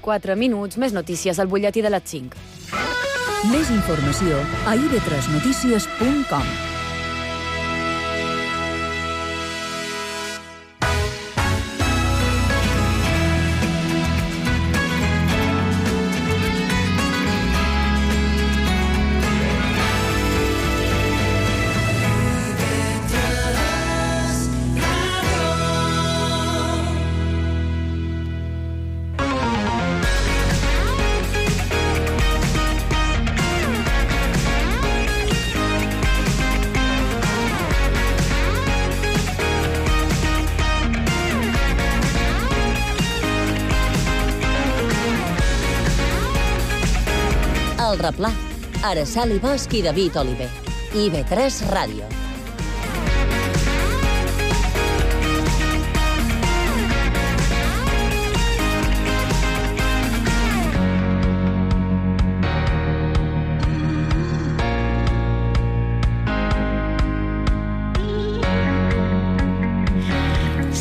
4 minuts, més notícies al butlletí de les 5. Més informació a ib3notícies.com. El Replà, Araceli Bosch i David Oliver. IB3 Ràdio.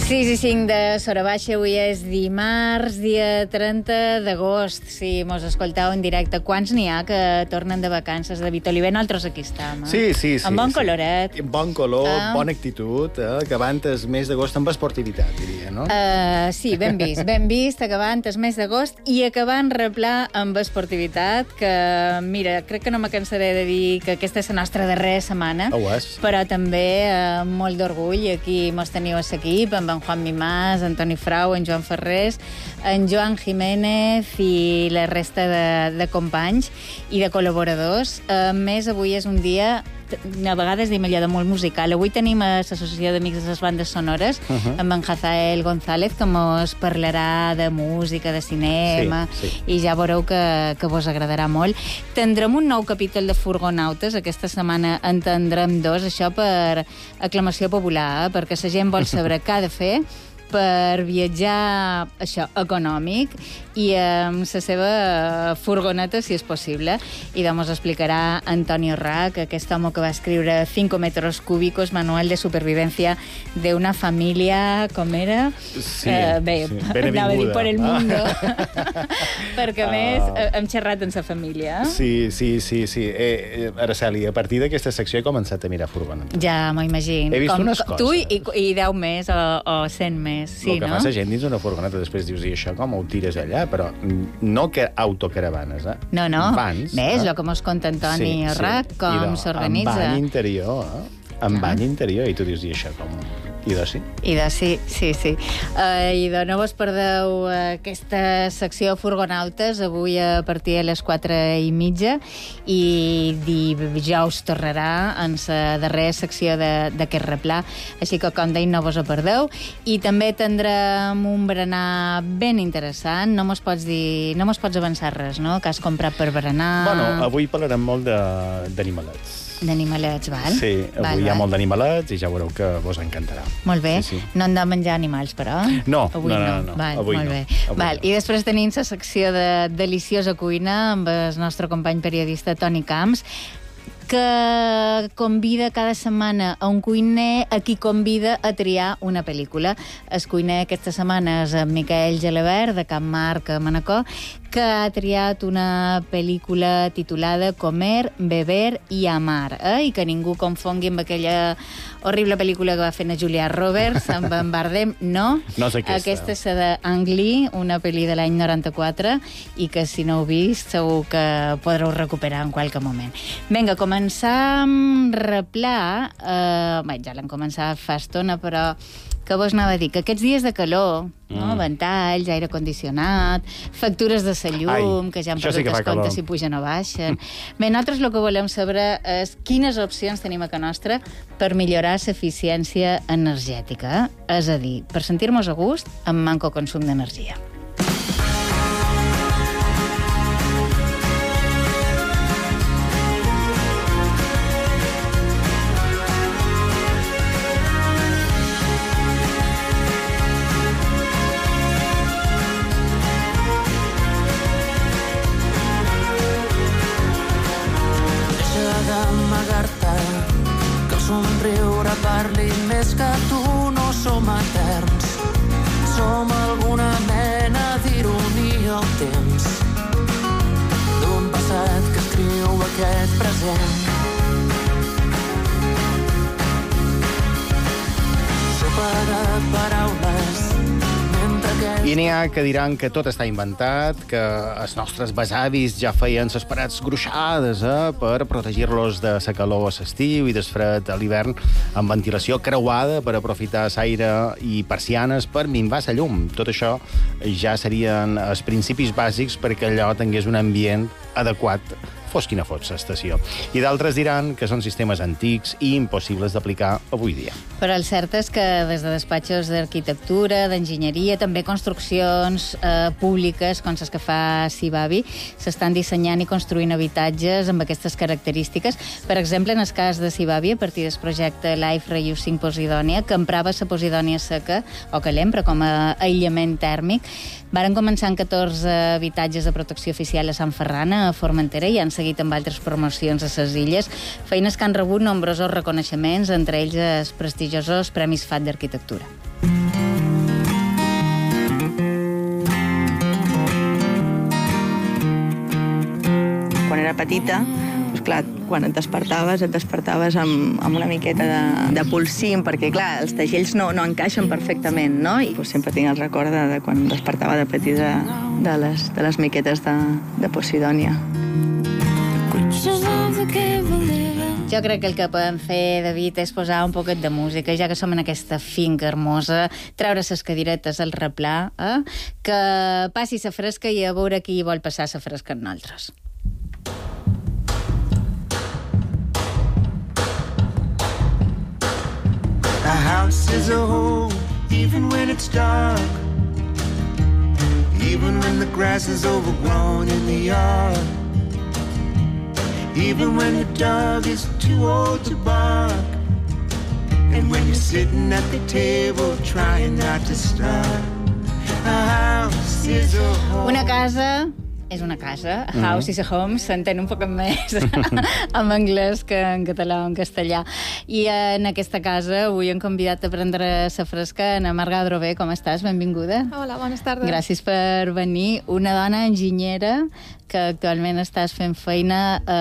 Sis i 5 de Sora Baixa, avui és dimarts, dia 30 d'agost. Si mos escoltau en directe, quants n'hi ha que tornen de vacances? David Oliver, nosaltres aquí estem. Sí. Amb bon coloret. Bon color, bona actitud, acabant el mes d'agost amb esportivitat, diria, no? Sí, ben vist, acabant el mes d'agost i acabant Replà amb esportivitat, que, mira, crec que no me cansaré de dir que aquesta és la nostra darrera setmana, però també molt d'orgull. Aquí mos teniu a l'equip, amb en Juan Mimàs, en Toni Frau, en Joan Ferrés, en Joan Jiménez i la resta de companys i de col·laboradors. A més, avui és un dia, a vegades diem allò de molt musical. Avui tenim a l'Associació d'Amics de les Bandes Sonores, amb en Hazael González, que mos parlarà de música, de cinema, i ja veureu que vos agradarà molt. Tindrem un nou capítol de Furgonautes, aquesta setmana en tindrem 2, això per aclamació popular, perquè la gent vol saber què ha de fer per viatjar, això, econòmic, i amb la seva furgoneta, si és possible. I doncs explicarà Antonio Rack, aquest home que va escriure 5 metros cúbicos, manual de supervivencia de una familia, com era? Bé, anava a dir per el mundo, perquè a més hem xerrat en sa família. Sí. Araceli, a partir d'aquesta secció he començat a mirar furgonetes. Ja m'ho imagino. He vist unes coses. Tu i 10 més o 100 més. Sí, el que fa la gent dins una furgoneta, després dius, i això com ho tires allà? Però no que autocaravanes, No. Vans. Ves, el que mos conta Antoni Rack, com s'organitza. Amb bany interior, bany interior, i tu dius, i això com... sí. Sí. I de no vos perdeu aquesta secció Furgonautes, avui a partir de les 4:30, i dijous tornarà en la darrera secció d'aquest replà, així que, com deim, no vos ho perdeu. I també tindrem un berenar ben interessant. No mos pots avançar res, no?, que has comprat per berenar. Bueno, avui parlarem molt d'animalets. D'animalets, val? Sí, avui hi ha molt d'animalets i ja veureu que vos encantarà. Molt bé. No hem de menjar animals, però? No. Avui no. Avui molt bé. I després tenim la secció de Deliciosa Cuina amb el nostre company periodista Toni Camps, que convida cada setmana a un cuiner a qui convida a triar una pel·lícula. El cuiner aquesta setmana és en Miquel Gelabert, de Can Marc, a Manacor, que ha triat una pel·lícula titulada Comer, Beber i Amar, i que ningú confongui amb aquella horrible pel·lícula que va fer Julia Roberts amb en Bardem. No és aquesta. Aquesta és de Ang Lee, una pel·li de l'any 94, i que si no heu vist segur que podreu recuperar en qualque moment. Vinga, començam Replà. Ja l'hem començat fa estona, però que vos anava a dir? Que aquests dies de calor, ventalls, aire condicionat, factures de la llum, que ja han perdut els comptes si pugen o baixen. Bé, nosaltres el que volem saber és quines opcions tenim a casa nostra per millorar l'eficiència energètica, és a dir, per sentir-nos a gust amb manco consum d'energia. Que el somriure parli més que tu, no som eterns. Som alguna mena temps d'un passat que escriu aquest present. Sopa de paraules mentre aquest... I n'hi ha que diran que tot està inventat, que els nostres besavis ja feien les parets gruixades per protegir-los de la calor a l'estiu i del fred a l'hivern, amb ventilació creuada per aprofitar l'aire i persianes per minvar la llum. Tot això ja serien els principis bàsics perquè allò tingués un ambient adequat, fos quina fos l'estació. I d'altres diran que són sistemes antics i impossibles d'aplicar avui dia. Però el cert és que des de despatxos d'arquitectura, d'enginyeria, també construccions públiques, com les que fa Sibavi, s'estan dissenyant i construint habitatges amb aquestes característiques. Per exemple, en el cas de Sibavi, a partir del projecte Life Reusing Posidònia, que emprava la posidònia seca, o que l'empra com a aïllament tèrmic, varen començar en 14 habitatges de protecció oficial a Sant Ferran, a Formentera, i han seguit amb altres promocions a les illes, feines que han rebut nombrosos reconeixements, entre ells els prestigiosos Premis FAT d'Arquitectura. Quan era petita, doncs clar, quan et despertaves amb una miqueta de polsim, perquè clar, els tagells no encaixen perfectament, no? I doncs sempre tinc el record de quan em despertava de petita de les miquetes de Posidònia. Jo crec que el que podem fer, David, és posar un poquet de música, ja que som en aquesta finca hermosa, treure ses cadiretes al replà, que passi sa fresca i a veure qui vol passar sa fresca amb nosaltres. A house is a home, even when it's dark. Even when the grass is overgrown in the yard. Even when the dog is too old to bark. And when you're sitting at the table trying not to starve. A house is a home. Una casa és una casa. House is a home s'entén un poc més en anglès que en català o en castellà. I en aquesta casa avui hem convidat a prendre sa fresca Ana Marga Adrover. Com estàs? Benvinguda. Hola, bones tardes. Gràcies per venir. Una dona enginyera que actualment estàs fent feina a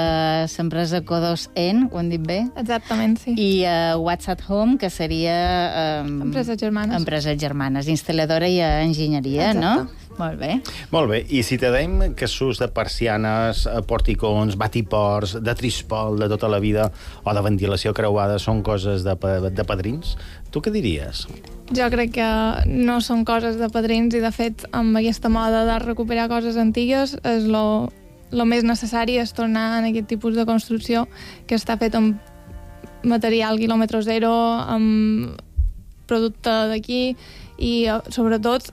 l'empresa Codos-En, ho hem dit bé? Exactament, sí. I What's at Home, que seria... Empreses germanes. Empreses germanes, instal·ladora i enginyeria, exacte, no? Molt bé. Molt bé. I si te deim que s'ús de persianes, porticons, batiports, de trispol de tota la vida o de ventilació creuada són coses de padrins, tu què diries? Jo crec que no són coses de padrins i, de fet, amb aquesta moda de recuperar coses antigues, és lo més necessari és tornar en aquest tipus de construcció que està fet amb material quilòmetre zero, amb producte d'aquí i, sobretot,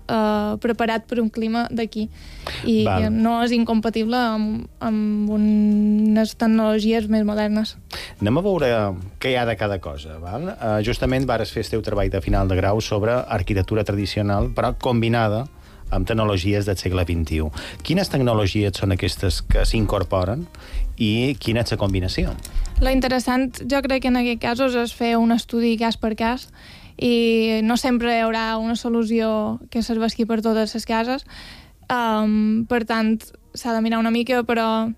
preparat per un clima d'aquí. I no és incompatible amb unes tecnologies més modernes. Anem a veure què hi ha de cada cosa. Val? Justament vares fer el teu treball de final de grau sobre arquitectura tradicional, però combinada amb tecnologies del segle XXI. Quines tecnologies són aquestes que s'incorporen i quina és la combinació? Lo interessant, jo crec que en aquest cas és fer un estudi cas per cas i no sempre hi haurà una solució que serveixi per totes les cases. Per tant, s'ha de mirar una mica, però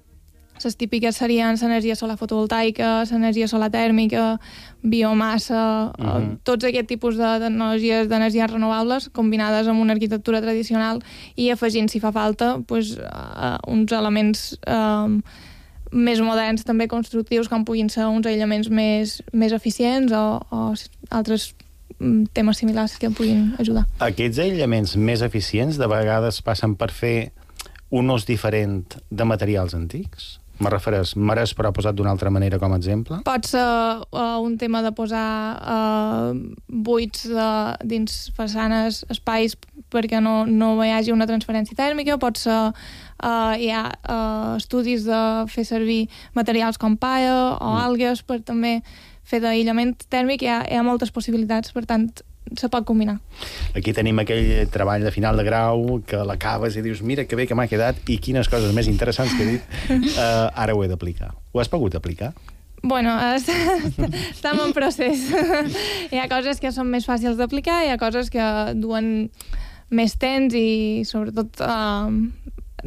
les típiques serien l'energia solar fotovoltaica, l'energia solar tèrmica, biomassa, tots aquests tipus de tecnologies d'energies renovables combinades amb una arquitectura tradicional i afegint, si fa falta, uns elements més moderns, també constructius, com puguin ser uns aïllaments més eficients o altres temes similars que puguin ajudar. Aquests aïllaments més eficients de vegades passen per fer un ús diferent de materials antics? Me refereix, marès, però posat d'una altra manera com a exemple? Pot ser un tema de posar buits dins façanes, espais, perquè no hi hagi una transferència tèrmica. Pot ser, hi ha estudis de fer servir materials com paia o algues per també fer d'aïllament tèrmic. Hi ha moltes possibilitats, per tant, se pot combinar. Aquí tenim aquell treball de final de grau que l'acabes i dius, mira que bé que m'ha quedat i quines coses més interessants que he dit. Ara ho he d'aplicar. Ho has pogut aplicar? Bueno, estem en procés. Hi ha coses que són més fàcils d'aplicar, hi ha coses que duen més temps i, sobretot,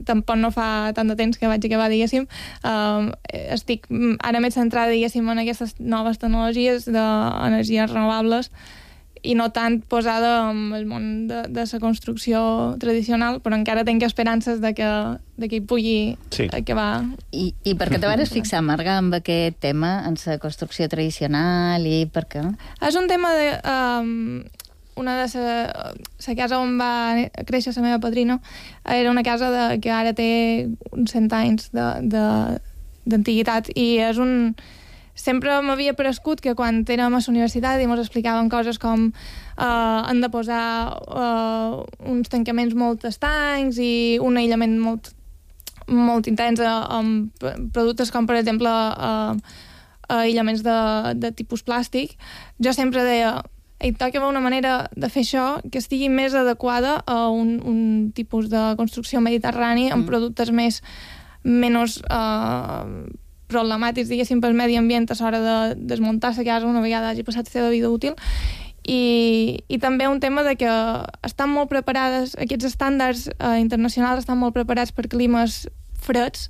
tampoc no fa tant de temps que vaig acabar, diguéssim, estic ara més centrada, diguéssim, en aquestes noves tecnologies d'energies renovables i no tant posada en el món de la construcció tradicional, però encara tinc esperances de que hi pugui acabar. I per què te vas fixar, Marga, amb aquest tema, en la construcció tradicional, i per què? És un tema de... una de la casa on va créixer la meva padrina era una casa que ara té uns 100 anys d'antiguitat, i és un... Sempre m'havia parescut que quan érem a la universitat i ens explicaven coses com han de posar uns tancaments molt estancs i un aïllament molt intens amb productes com, per exemple, aïllaments de tipus plàstic. Jo sempre deia, toca una manera de fer això que estigui més adequada a un tipus de construcció mediterrani amb productes menys problemàtics, diguéssim, pel medi ambient a l'hora de desmuntar la casa una vegada hagi passat la seva vida útil. I també un tema de que estan molt preparades, aquests estàndards internacionals estan molt preparats per climes freds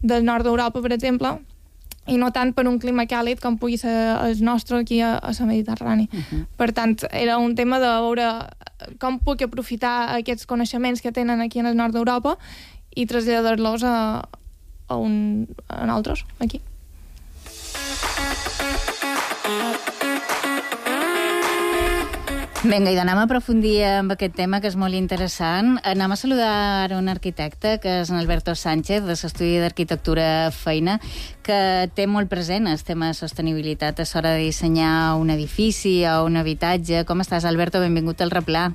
del nord d'Europa, per exemple, i no tant per un clima càlid com pugui ser el nostre aquí a la Mediterrani. Per tant, era un tema de veure com puc aprofitar aquests coneixements que tenen aquí en el nord d'Europa i traslladar-los a altres, aquí. Vinga, i d'anem a aprofundir amb aquest tema, que és molt interessant. Anem a saludar un arquitecte, que és en Alberto Sánchez, de l'Estudi d'Arquitectura Feina, que té molt present el tema de sostenibilitat a l'hora de dissenyar un edifici o un habitatge. Com estàs, Alberto? Benvingut al Replà.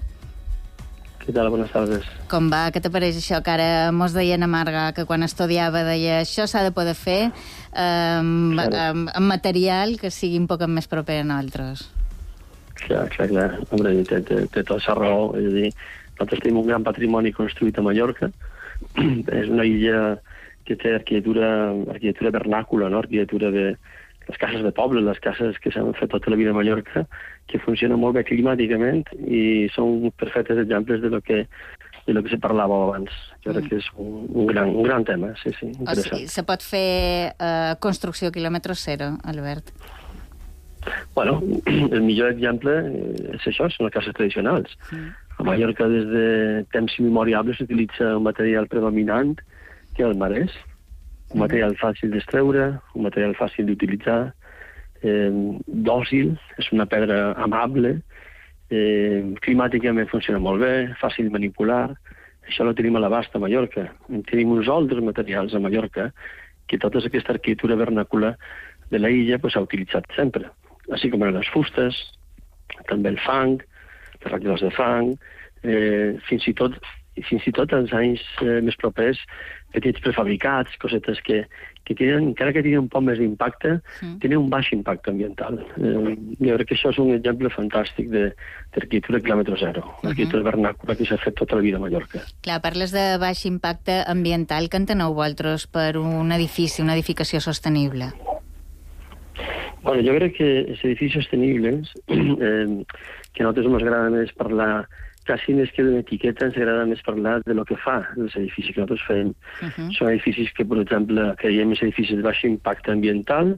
Què tal? Bones tardes. Com va? Què t'apareix això que ara mos deia na Marga, que quan estudiava deia això s'ha de poder fer amb material que sigui un poc més proper a nosaltres? Clar. Hombre, té tota la raó. És a dir, nosaltres tenim un gran patrimoni construït a Mallorca. És una illa que té arquitectura vernàcula, no? Arquitectura de les cases de poble, les cases que s'han fet tota la vida a Mallorca, que funcionen molt bé climàticament i són perfectes exemples de lo que se parlava abans. Jo crec que és un gran tema, sí, interessant. O sigui, se pot fer construcció quilòmetre zero, Albert? Bueno, el millor exemple és això, són les cases tradicionals. A Mallorca, des de temps immemoriables, s'utilitza un material predominant, que és el marès, un material fàcil d'extreure, un material fàcil d'utilitzar, dòcil, és una pedra amable, climàticament funciona molt bé, fàcil de manipular. Això ho tenim a l'abast a Mallorca. Tenim uns altres materials a Mallorca que tota aquesta arquitectura vernàcula de la illa s'ha utilitzat sempre, així com les fustes, també el fang, les ratlladors de fang, fins i tot als anys més propers, petits prefabricats, cosetes que tenen, encara que tenen un poc més d'impacte, tenen un baix impacte ambiental. Jo crec que això és un exemple fantàstic d'arquitectura quilòmetre zero, l'arquitectura vernàcula que s'ha fet tota la vida a Mallorca. Clar, parles de baix impacte ambiental. Què enteneu vosaltres per un edifici, una edificació sostenible? Bueno, jo crec que els edificis sostenibles, que a nosaltres ens agrada més parlar, quasi més que d'una etiqueta, ens agrada més parlar de lo que fa els edificis que nosaltres fem. Són edificis que, per exemple, creiem els edificis de baix impacte ambiental,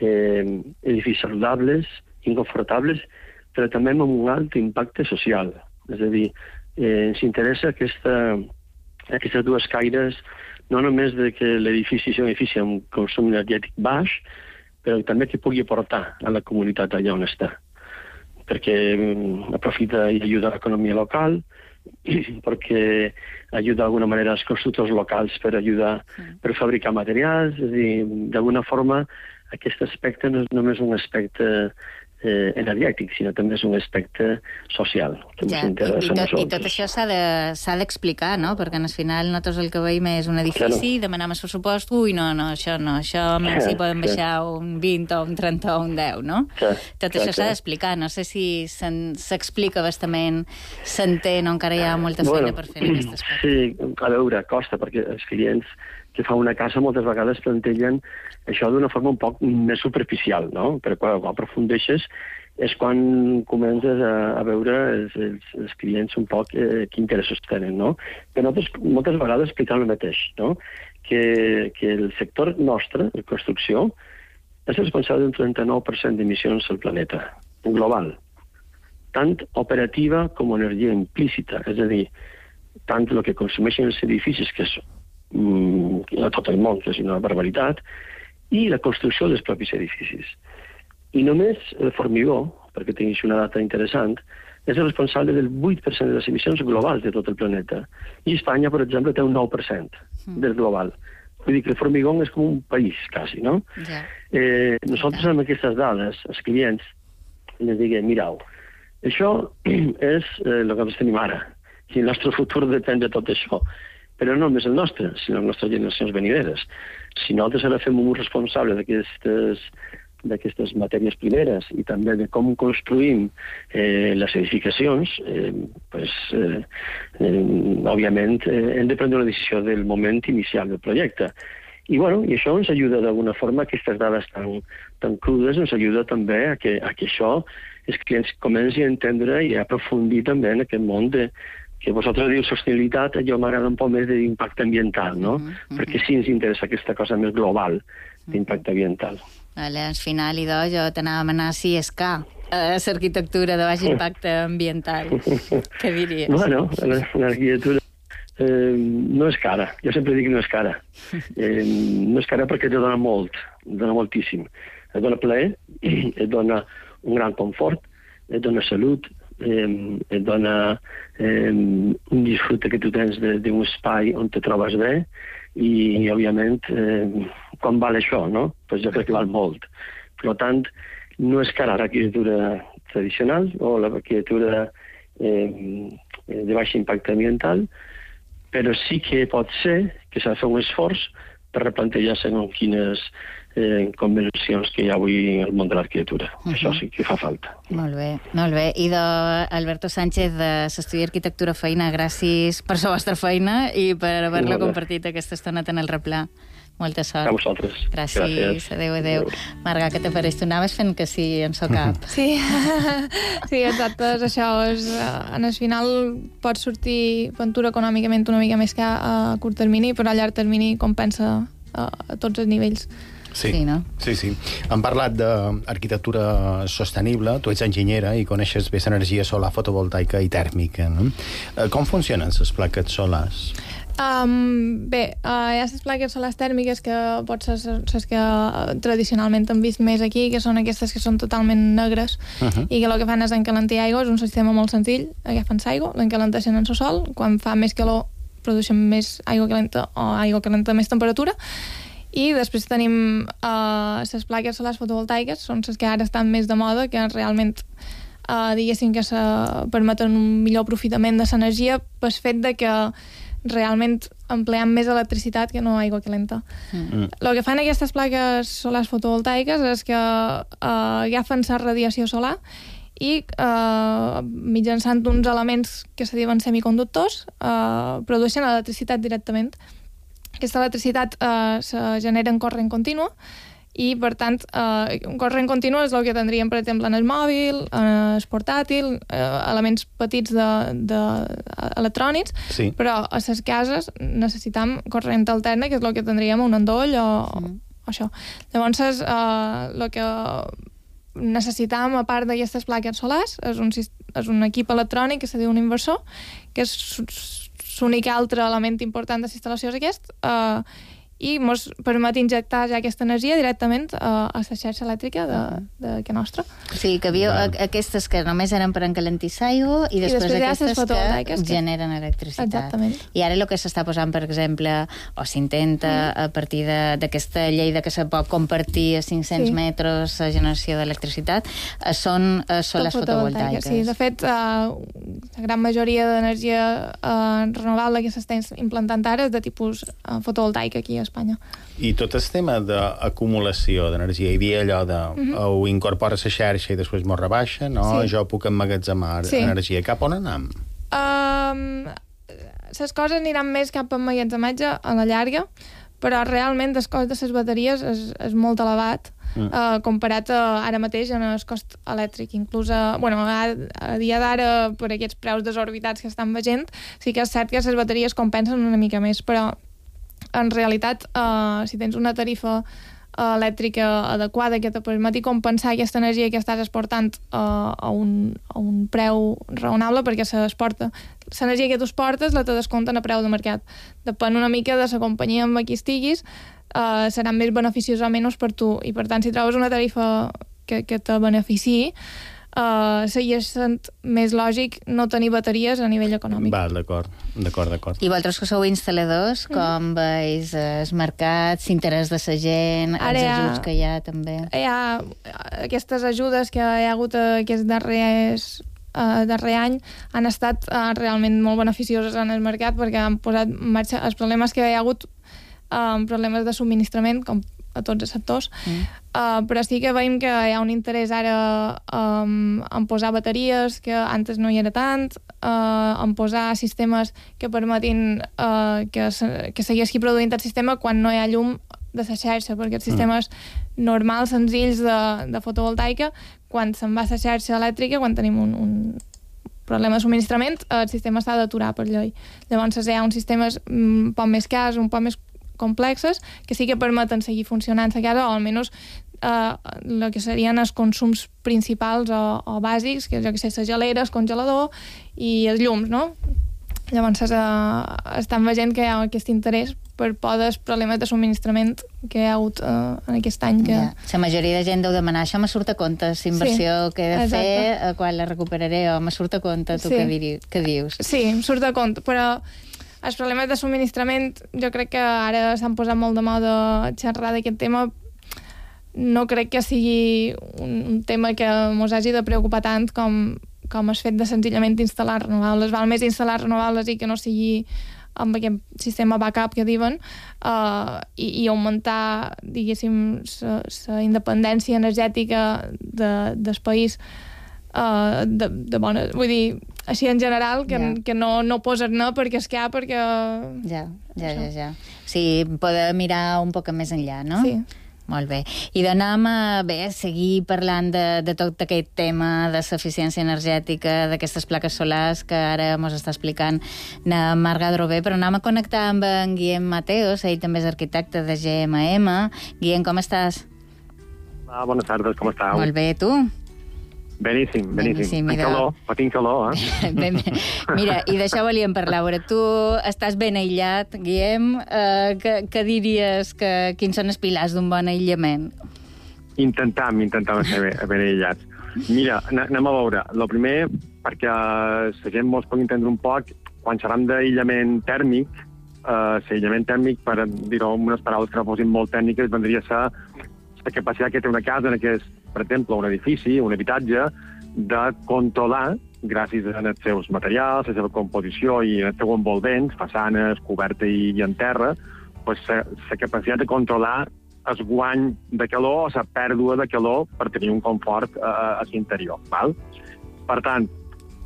edificis saludables, inconfortables, però també amb un alt impacte social. És a dir, ens interessa aquestes dues caires, no només de que l'edifici sigui un edifici amb consum energètic baix, però també que pugui aportar a la comunitat allà on està, perquè aprofita i ajuda a l'economia local, perquè ajuda d'alguna manera als constructors locals per fabricar materials. És a dir, d'alguna forma, aquest aspecte no és només un aspecte energètic, sinó també és un aspecte social, que ens interessa a nosaltres. I tot això s'ha d'explicar, no? Perquè al final nosaltres el que veiem és un edifici, demanem el pressupost, no, això més hi podem baixar un 20 o un 30 o un 10, no? Tot això s'ha d'explicar, no sé si s'explica bastament, s'entén o encara hi ha molta feina per fer en aquest aspecte. Sí, a veure, costa, perquè els clients que fa una casa moltes vegades plantegen això d'una forma un poc més superficial, no? Però quan aprofundeixes és quan comences a veure els clients un poc quins interessos tenen, no? Però nosaltres moltes vegades expliquem el mateix, no? Que el sector nostre, de construcció, és responsable d'un 39% d'emissions al planeta, global, tant operativa com energia implícita, és a dir, tant el que consumeixen els edificis, que és a tot el món, que és una barbaritat, i la construcció dels propis edificis. I només el formigó, perquè tinguis una data interessant, és el responsable del 8% de les emissions globals de tot el planeta. I Espanya, per exemple, té un 9% del global. Vull dir que el formigó és com un país, quasi, no? Ja. Nosaltres amb aquestes dades, els clients, els diguem, mireu, això és el que ens tenim ara, i el nostre futur depèn de tot això. Però no només el nostre, sinó les nostres generacions venideres. Si nosaltres ara fem un ús responsable d'aquestes matèries primeres i també de com construïm les edificacions, òbviament hem de prendre una decisió del moment inicial del projecte. I això ens ajuda d'alguna forma, aquestes dades tan crudes, ens ajuda també a que això els clients comencin a entendre i a aprofundir també en aquest món que vosaltres diu sostenibilitat, jo m'agrada un poc més d'impacte ambiental, no? Perquè sí ens interessa aquesta cosa més global d'impacte ambiental. Vale, al final, idò, jo t'anava a demanar si és car l'arquitectura de baix impacte ambiental. Què diries? Bueno, l'arquitectura no és cara. Jo sempre dic que no és cara. No és cara perquè te dona molt, dona moltíssim. Et dona plaer, et dona un gran confort, et dona salut, et dona un disfrute que tu tens d'un espai on te trobes bé i, òbviament, quan val això, no? Pues jo crec que val molt. Per tant, no és cara l'arquitectura tradicional o l'arquitectura de baix impacte ambiental, però sí que pot ser que s'ha de fer un esforç per replantejar segons quines convencions que hi ha avui al món de l'arquitectura. Això sí que fa falta. Molt bé, molt bé. I d'Alberto Sánchez, de l'Estudi d'Arquitectura Feina, gràcies per la vostra feina i per haver-la compartit aquesta estona en el replà. Molta sort. A vosaltres. Gràcies. Adéu, adéu. Marga, què t'apareix? Tu anaves fent que sí en so cap. Sí, sí, exacte. És això. En el final pot sortir aventura econòmicament una mica més que a curt termini, però a llarg termini compensa a tots els nivells. Sí, no? Sí. Hem parlat d'arquitectura sostenible, tu ets enginyera i coneixes bé l'energia solar fotovoltaica i tèrmica, no? Com funcionen les plaques solars? Bé, hi ha les plaques solars tèrmiques que potser les que tradicionalment hem vist més aquí, que són aquestes que són totalment negres i que el que fan és encalentar aigua. És un sistema molt senzill, agafen l'aigua, l'encalenteixen en el sol, quan fa més calor produeixen més aigua calenta o aigua calenta més temperatura. I després tenim les plaques solars fotovoltaiques, són les que ara estan més de moda, que realment diguéssim que permeten un millor aprofitament de l'energia pel fet de que realment empleem més electricitat que no aigua calenta. El que fan aquestes plaques solars fotovoltaiques és que agafen la radiació solar i mitjançant uns elements que se diuen semiconductors produeixen electricitat directament. Aquesta electricitat se genera en corrent continu i, per tant, un corrent continu és el que tindríem, per exemple, en el mòbil, en el portàtil, elements petits electrònics, però a les cases necessitem corrent alterna, que és el que tindríem un endoll o això. Llavors, el que necessitam, a part d'aquestes plaques solars, és un equip electrònic que se diu un inversor, que és l'únic altre element important de la instal·lació és aquest, i ens permet injectar ja aquesta energia directament a la xarxa elèctrica de nostra. Sí, que havia aquestes que només eren per encalentir l'aigua i després aquestes que generen electricitat. Exactament. I ara el que s'està posant, per exemple, o s'intenta a partir d'aquesta llei de que se pot compartir a 500 metres la generació d'electricitat, són solars fotovoltaiques. Sí, de fet, la gran majoria d'energia renovable que s'està implantant ara és de tipus fotovoltaica aquí a Espanya. I tot el tema d'acumulació d'energia, hi havia allò de ho incorpora a la xarxa i després m'ho rebaixa, no? Jo puc emmagatzemar energia. Cap on anem? Les coses aniran més cap a emmagatzematge a la llarga, però realment el cost de les bateries és molt elevat comparat ara mateix en el cost elèctric. Inclús a dia d'ara, per aquests preus desorbitats que estan veient, sí que és cert que les bateries compensen una mica més, però en realitat, si tens una tarifa elèctrica adequada que te permeti compensar aquesta energia que estàs exportant a un preu raonable, perquè l'energia que tu exportes la te descompten a preu de mercat. Depèn una mica de la companyia amb qui estiguis, serà més beneficiós o menys per tu, i per tant, si trobes una tarifa que te beneficiï, seria més lògic no tenir bateries a nivell econòmic. Val, d'acord. I vosaltres que sou instal·ladors, com veus el mercat, l'interès de la gent, els ajuts que hi ha també? Hi ha aquestes ajudes que hi ha hagut aquest darrer any han estat realment molt beneficioses en el mercat, perquè han posat en marxa els problemes que hi ha hagut, problemes de subministrament, com a tots els sectors, però sí que veiem que hi ha un interès ara en posar bateries, que antes no hi era tant, en posar sistemes que permetin que segueixi produint el sistema quan no hi ha llum de la xarxa, perquè els sistemes normals, senzills de fotovoltaica, quan se'n va a la xarxa elèctrica, quan tenim un problema de subministrament, el sistema s'ha d'aturar per llei. Llavors hi ha uns sistemes un poc més cars, un poc més complexes, que sí que permeten seguir funcionant a casa, o almenys el que serien els consums principals o bàsics, que jo que sé, les geleres, el congelador i els llums, no? Llavors estan veient que hi ha aquest interès per por dels problemes de subministrament que hi ha hagut en aquest any. La majoria de gent deu demanar, això me surt a compte, la inversió que he de fer, quan la recuperaré, o me surt a compte, tu què dius? Sí, em surt a compte, però els problemes de subministrament, jo crec que ara s'han posat molt de moda xerrar d'aquest tema. No crec que sigui un tema que ens hagi de preocupar tant com el fet de senzillament instal·lar renovables. Val més instal·lar renovables i que no sigui amb aquest sistema backup que diuen, i augmentar, diguéssim, la independència energètica del país de bona... Vull dir, així en general, que no poses no perquè és que hi ha, perquè... Ja. Sí, poder mirar un poc més enllà, no? Sí. Molt bé. I d'anem a seguir parlant de tot aquest tema de l'eficiència energètica, d'aquestes plaques solars que ara ens està explicant na Marga Drové, però anem a connectar amb en Guillem Mateos, ell també és arquitecte de GMM. Guillem, com estàs? Bones tardes, com estàu? Molt bé, tu? Beníssim. Tinc calor, Mira, i d'això volíem parlar. Tu estàs ben aïllat, Guillem. Què diries quins són els pilars d'un bon aïllament? Intentam ser ben aïllats. Mira, anem a veure. El primer, perquè la gent mos pugui entendre un poc, quan xerram d'aïllament tèrmic, l'aïllament tèrmic, per dir-ho amb unes paraules que no fossin molt tècniques, vendria a ser la capacitat que té una casa, per exemple, un edifici, un habitatge, de controlar, gràcies als seus materials, la seva composició i el seu envolvents, façanes, coberta i en terra, la capacitat de controlar el guany de calor o la pèrdua de calor per tenir un confort a l'interior. Per tant,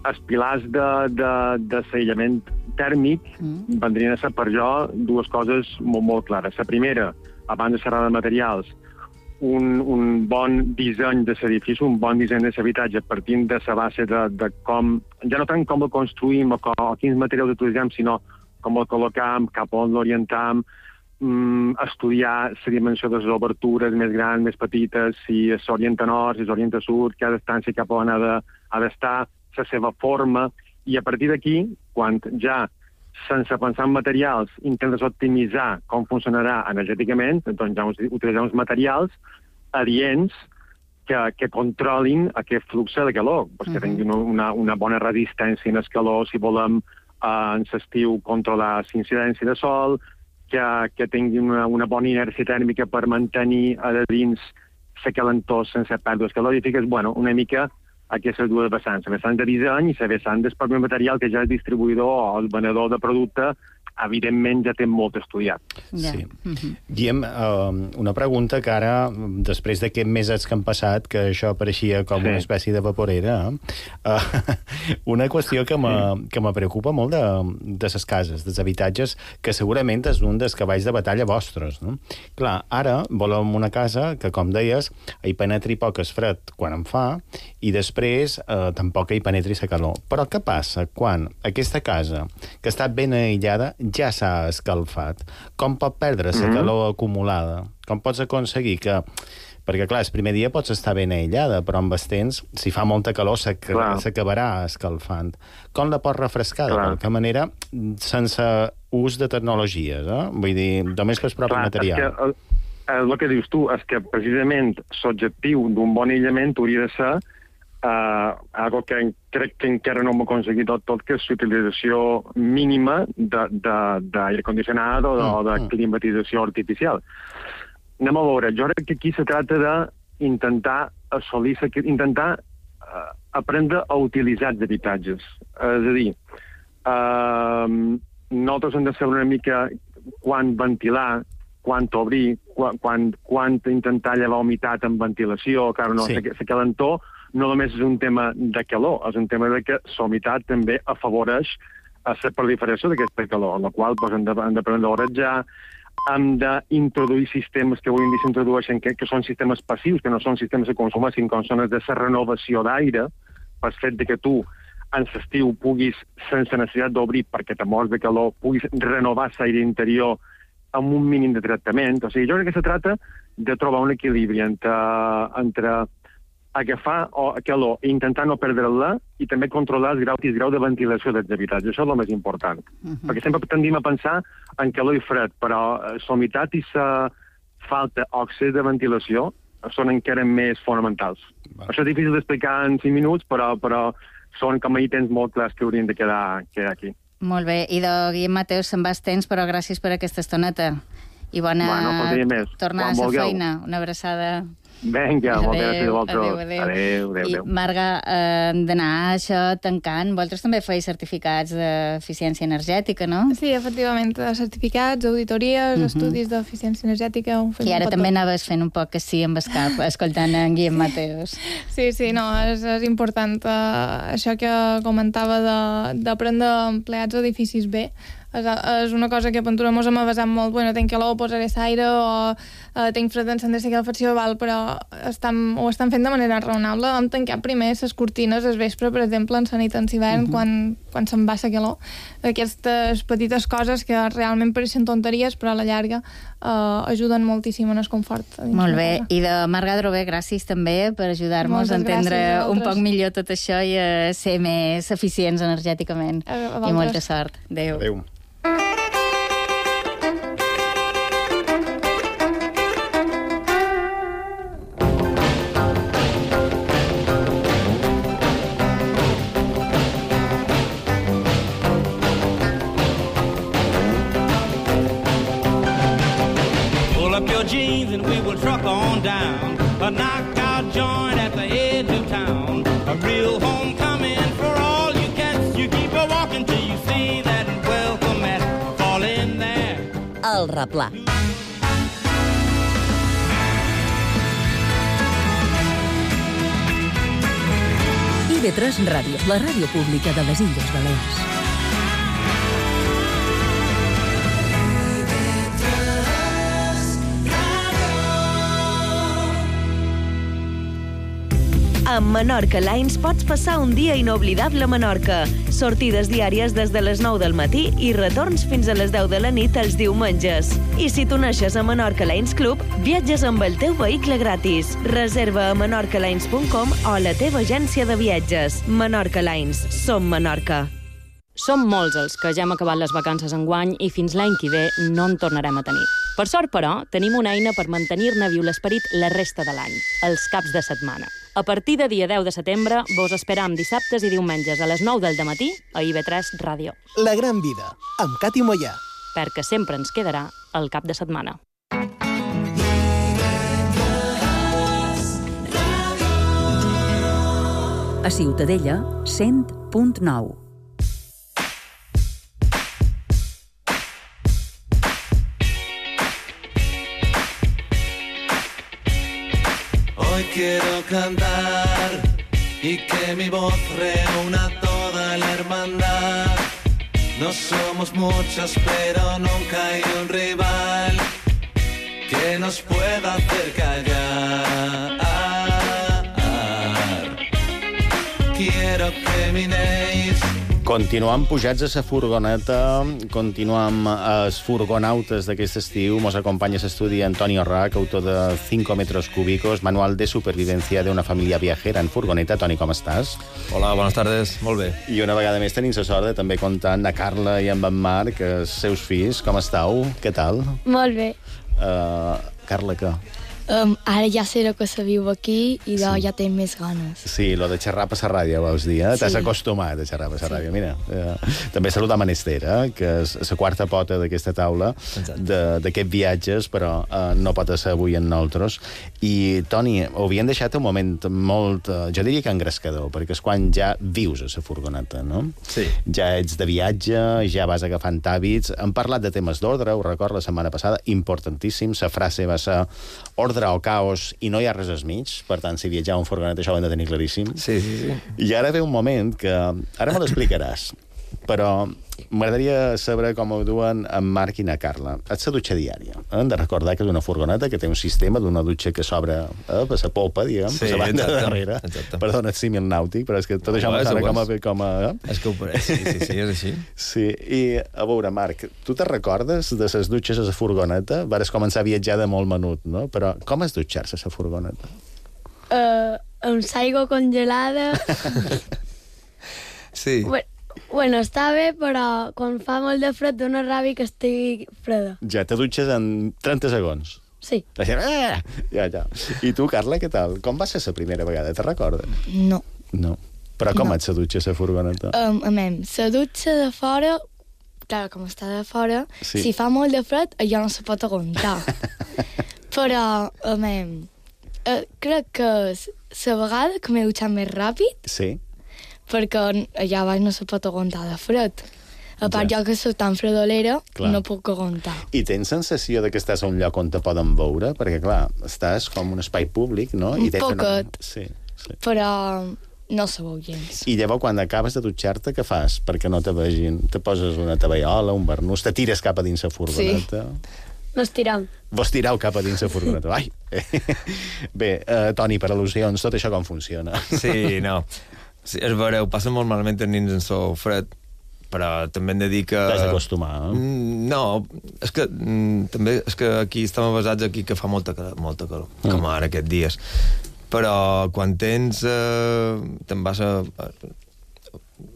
els pilars de l'aïllament tèrmic vendrien a ser per jo dues coses molt clares. La primera, abans de xerrar de materials, un bon disseny de l'edifici, un bon disseny de l'habitatge partint de la base de com, ja no tant com el construïm o quins materials utilitzem, sinó com el col·locam, cap on l'orientam, estudiar la dimensió de les obertures més grans, més petites, si s'orienta nord, si s'orienta sud, cada distància cap on ha d'estar, la seva forma, i a partir d'aquí, quan ja sense pensar en materials, intentes optimitzar com funcionarà energèticament, doncs ja utilitzem els materials adients que controlin aquest flux de calor, que tinguin una bona resistència en el calor, si volem en l'estiu controlar l'incidència de sol, que tinguin una bona inèrcia tèrmica per mantenir a dins la calentor sense pèrdues calorífiques, una mica aquestes dues vessants, la vessant de disseny i la vessant del propi material que ja el distribuïdor o el venedor de producte evidentment ja té molt estudiat. Sí. Guillem, una pregunta que ara, després d'aquests mesos que han passat, que això pareixia com una espècie de vaporera, una qüestió que me preocupa molt de les cases, dels habitatges, que segurament és un dels cavalls de batalla vostres, no? Clar, ara volem una casa que, com deies, hi penetri poc el fred quan en fa i després tampoc hi penetri la calor. Però què passa quan aquesta casa, que està ben aïllada, ja s'ha escalfat? Com pot perdre la calor acumulada? Com pots aconseguir que... Perquè, clar, el primer dia pots estar ben aïllada, però amb el temps, si fa molta calor, s'acabarà escalfant. Com la pots refrescar, de qualque manera, sense ús de tecnologies, Vull dir, només per el propi material. El que dius tu és que, precisament, l'objectiu d'un bon aïllament hauria de ser algo que crec que encara no hem aconseguit tot, que és l'utilització mínima d'aire condicionat o de climatització artificial. Anem a veure, jo crec que aquí se tracta d'intentar assolir, aprendre a utilitzar els habitatges. És a dir, nosaltres hem de saber una mica quan ventilar, quan obrir, quan intentar llevar humitat amb ventilació. Clar, no, la calentor no només és un tema de calor, és un tema de que la humitat també afavoreix la proliferació d'aquesta calor, en la qual hem d'aprendre a oratjar, hem d'introduir sistemes que avui en dia s'introdueixen, que són sistemes passius, que no són sistemes de consum, sinó que són de la renovació d'aire, pel fet que tu en l'estiu puguis, sense necessitat d'obrir perquè te mors de calor, puguis renovar l'aire interior amb un mínim de tractament. O sigui, jo crec que se tracta de trobar un equilibri entre agafar calor i intentar no perdre-la i també controlar el grau de ventilació dels habitatges. Això és el més important. Perquè sempre tendim a pensar en calor i fred, però la humitat i la falta d'òxid de ventilació són encara més fonamentals. Això és difícil d'explicar en 5 minuts, però són com a ítems molt clars que haurien de quedar aquí. Molt bé. I de Guillem Mateus se'n vas temps, però gràcies per aquesta estoneta. I bona tornada a la feina. Una abraçada. Vinga, moltes gràcies a vosaltres. Adéu. I, Marga, d'anar això tancant, vosaltres també feis certificats d'eficiència energètica, no? Sí, efectivament, certificats, auditories, estudis d'eficiència energètica... I ara també anaves fent un poc que sí amb el cap, escoltant en Guillem Mateus. Sí, no, és important. Això que comentava d'aprendre empleats d'edificis bé, és una cosa que a Pentura mos hem avasat molt. Bueno, tenc calor, posaré l'aire, o tenc fred, encendré la calefacció, però ho estan fent de manera raonable. Hem tancat primer les cortines al vespre, per exemple, en sanitants hivern, quan se'n va la calor. Aquestes petites coses que realment pareixen tonteries, però a la llarga ajuden moltíssim en el confort. Molt bé. I de Marga Drover, gràcies també per ajudar-nos a entendre un poc millor tot això i a ser més eficients energèticament. I molta sort. Adéu. Jeans and we will truck on down, a knockout joint at the edge of town, a real homecoming for all you cats. You keep a walking till you see that welcome mat fall in there. El Replà. IB3 Ràdio, la ràdio pública de les Illes Balears. Amb Menorca Lines pots passar un dia inoblidable a Menorca. Sortides diàries des de les 9 del matí i retorns fins a les 10 de la nit els diumenges. I si t'uneixes a Menorca Lines Club, viatges amb el teu vehicle gratis. Reserva a menorcalines.com o a la teva agència de viatges. Menorca Lines. Som Menorca. Som molts els que ja hem acabat les vacances enguany i fins l'any que ve no en tornarem a tenir. Per sort, però, tenim una eina per mantenir-ne viu l'esperit la resta de l'any, els caps de setmana. A partir de dia 10 de setembre, vos esperam dissabtes i diumenges a les 9 del dematí a IB3 Ràdio. La gran vida, amb Cati Mollà. Perquè sempre ens quedarà el cap de setmana. A Ciutadella, 100.9. quiero cantar y que mi voz reúna toda la hermandad. No somos muchos, pero nunca hay un rival que nos pueda hacer callar. Quiero que miréis. Continuam pujats a sa furgoneta, continuam els furgonautes d'aquest estiu. Mos acompanya a l'estudi Antonio Rac, autor de 5 metros cúbicos, manual de supervivencia de una familia viajera en furgoneta. Toni, com estàs? Hola, buenas tardes, molt bé. I una vegada més tenim la sort de també comptar amb la Carla i amb en Marc, els seus fills. Com estàu? Què tal? Molt bé. Carla, què? Ara ja sé que se viu aquí i ja tinc més ganes. Sí, lo de xerrar per la ràdio, vols dir, eh? Sí. T'has acostumat a xerrar per la ràdio. Mira, també saludar Menester, que és la quarta pota d'aquesta taula d'aquests viatges, però no pot ser avui en nosaltres. I, Toni, ho havien deixat un moment molt, jo diria que engrescador, perquè és quan ja vius a la furgoneta, no? Sí. Ja ets de viatge, ja vas agafant hàbits. Hem parlat de temes d'ordre, ho record la setmana passada, importantíssim. La frase va ser ordre o caos i no hi ha res al mig. Per tant, si viatjava en furgoneta, això ho hem de tenir claríssim. Sí. I ara ve un moment que... Ara me l'explicaràs, però m'agradaria saber com ho duen en Marc i na Carla. És la dutxa diària. Hem de recordar que és una furgoneta que té un sistema d'una dutxa que s'obre per la polpa, diguem, per la banda de darrere. Perdona, el símil nàutic, però és que tot això m'agrada com a... És que ho pareix, sí, és així. Sí, i a veure, Marc, tu te recordes de les dutxes a la furgoneta? Vares començar a viatjar de molt menut, no? Però com és dutxar-se a la furgoneta? Amb aigua congelada. Sí. Bueno, està bé, però quan fa molt de fred dona ràbia que estigui freda. Ja te dutxes en 30 segons. Sí. Ja. I tu, Carla, què tal? Com va ser la primera vegada? Te recordes? No. No. Però com et se dutxa la furgoneta? La dutxa de fora, clar, com està de fora, si fa molt de fred, allò no se pot aguantar. Però, crec que la vegada que m'he dutxat més ràpid, sí, perquè allà baix no se pot aguantar de fred. A part, jo que soc tan fredolera, no puc aguantar. I tens sensació de que estàs a un lloc on te poden veure? Perquè, clar, estàs com un espai públic, no? Un poquet. Sí. Però no se veu gens. I llavors, quan acabes de dutxar-te, què fas? Perquè no te vegin. Te poses una tovallola, un barnús, te tires cap a dins la furgoneta. Sí. M'estirau. Vos tirau cap a dins la furgoneta. Ai! Bé, Toni, per al·lusions, tot això com funciona? Sí, no. Sí, és vera, ho passa molt malament els nins en sol fred, però també hem de dir que... T'has d'acostumar, eh? No, és que també és que aquí estem basats aquí que fa molta calor, com ara aquests dies. Però quan tens... te'n vas a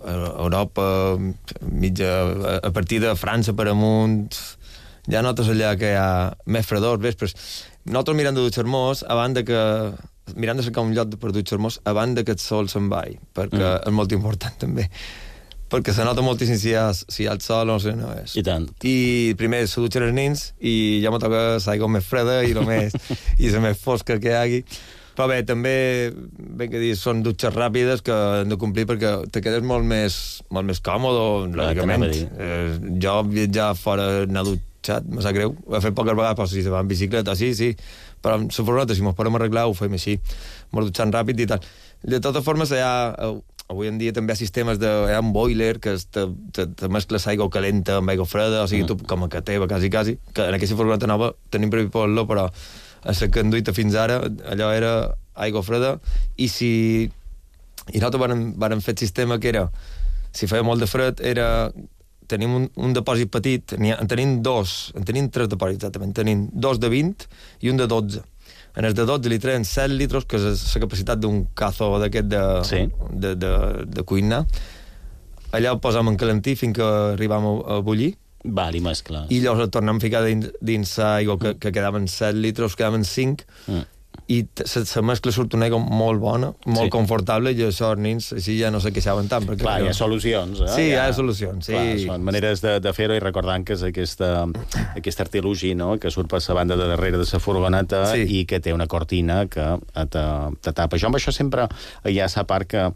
Europa, a partir de França per amunt, ja notes allà que hi ha més fredor, vespres. Nosaltres mirant de dutxar-nos, abans de que... mirant de cercar un lloc per dutxar-nos abans que el sol se'n vai, perquè és molt important també, perquè se nota moltíssim si hi ha el sol o no és. I tant. I primer se dutxen els nins i ja me toca l'aigua més freda i la més fosca que hi hagi. Però bé, també, ben que dir, són dutxes ràpides que han de complir perquè te quedes molt més còmode, lògicament. Jo viatjar fora, anar dutxat, me sap greu. Ho he fet poques vegades, però si se va en bicicleta, sí. Però amb la furgoneta, si mos podem arreglar, ho fem així. Mos dutxant ràpid i tal. De totes formes, avui en dia també hi ha sistemes hi ha un boiler que te mescles aigua calenta amb aigua freda, o sigui, tu com a que teva, quasi, que en aquesta furgoneta nova tenim previst posar-lo, però a la que han duit fins ara, allò era aigua freda, i nosaltres vàrem fer el sistema que era, si feia molt de fred, tenim un depòsit petit, en tenim tres depòsits, exactament. Tenim dos de 20 i un de 12. En els de 12 li treuen 7 litres, que és la capacitat d'un cazo d'aquest de cuinar. Allà ho posam en calentir fins que arribam a bullir. Val, i mescla. I llavors el tornem a ficar dins l'aigua, que quedaven 7 litres, quedaven 5, i la mescla surt una aigua molt bona, molt confortable, i això els nins així ja no se queixaven tant. Clar, hi ha solucions. Sí, hi ha solucions. Clar, són maneres de fer-ho, i recordant que és aquest artilugi, no?, que surt per la banda de darrere de la furgoneta i que té una cortina que te tapa. Jo amb això sempre hi ha la part que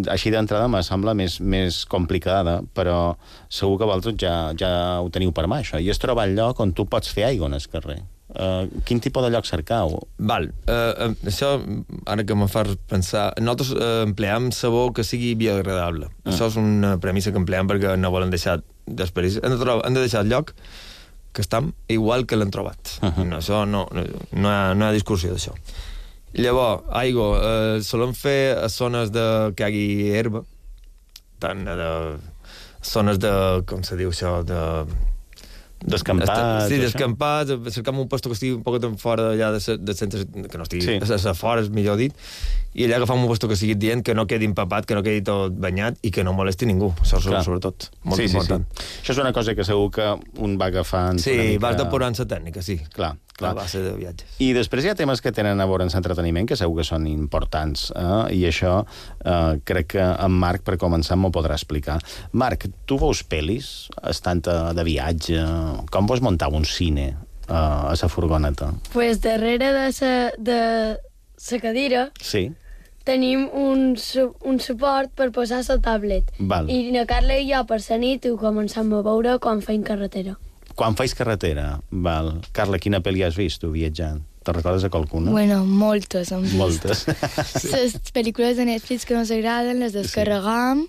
així d'entrada me sembla més complicada, però segur que vosaltres ja ho teniu per mà, això. I és trobar el lloc on tu pots fer aigua en el carrer. Quin tipus de lloc cercau? Val, això, ara que me fas pensar, nosaltres empleam sabó que sigui biodegradable. Això és una premissa que empleam perquè no volen deixar desperdis. Han de deixar el lloc que estem igual que l'han trobat. Això no hi ha discussió d'això. Llavors, aigua, solem fer a zones que hi hagi herba, tant de zones de, com se diu això, d'escampats. Sí, d'escampats, cercam un lloc que estigui un poc fora d'allà de centres, que no estigui a fora, millor dit, i allà agafam un lloc que sigui dient, que no quedi empapat, que no quedi tot banyat i que no molesti ningú. Això és sobretot molt important. Això és una cosa que segur que un va agafant... Sí, vas depurant la tècnica, sí. Clar. A base de viatges. I després hi ha temes que tenen a veure amb l'entreteniment, que segur que són importants, i això crec que en Marc, per començar, m'ho podrà explicar. Marc, tu veus pel·lis estant de viatge? Com vols muntar un cine a la furgoneta? Pues darrere de la cadira tenim un suport per posar la tablet. I na Carla i jo per la nit ho començam a veure quan feim carretera. Quan feis carretera, val. Carla, quina pel·li has vist, tu, viatjant? Te'n recordes de qualcuna? Bueno, moltes hem vist. Moltes. Les pel·lícules de Netflix que ens agraden les descarregam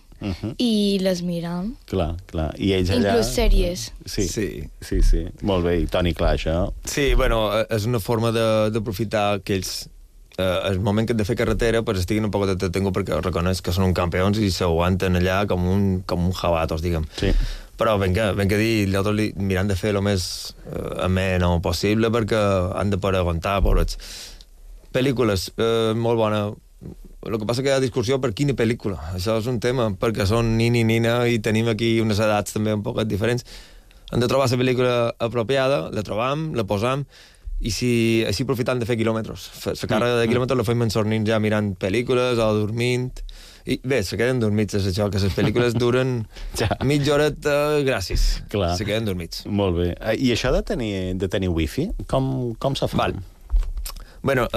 i les miram. Clar. I ells allà... Inclús sèries. Sí. Molt bé. I Toni, clar, això... Sí, bueno, és una forma d'aprofitar que ells... el moment que han de fer carretera pues estiguin un poc detengut perquè reconeix que són uns campions i s'aguanten allà com un jabatos, diguem. Sí. Però ben que dir, nosaltres mirant de fer el més ameno possible perquè han de poder aguantar, pobrets. Pel·lícules, molt bona. El que passa que hi ha discussió per quina pel·lícula. Això és un tema, perquè són nini i nina i tenim aquí unes edats també un poc diferents. Hem de trobar la pel·lícula apropiada, la trobam, la posam, i així aprofitant de fer quilòmetres. La càrrega de quilòmetres la fem ensornint ja mirant pel·lícules o dormint. I bé, se queden dormits, és això, que les pel·lícules duren mitja horeta, gràcies. Clar. Se queden dormits. Molt bé. I això de tenir wifi, com se fa? Bueno,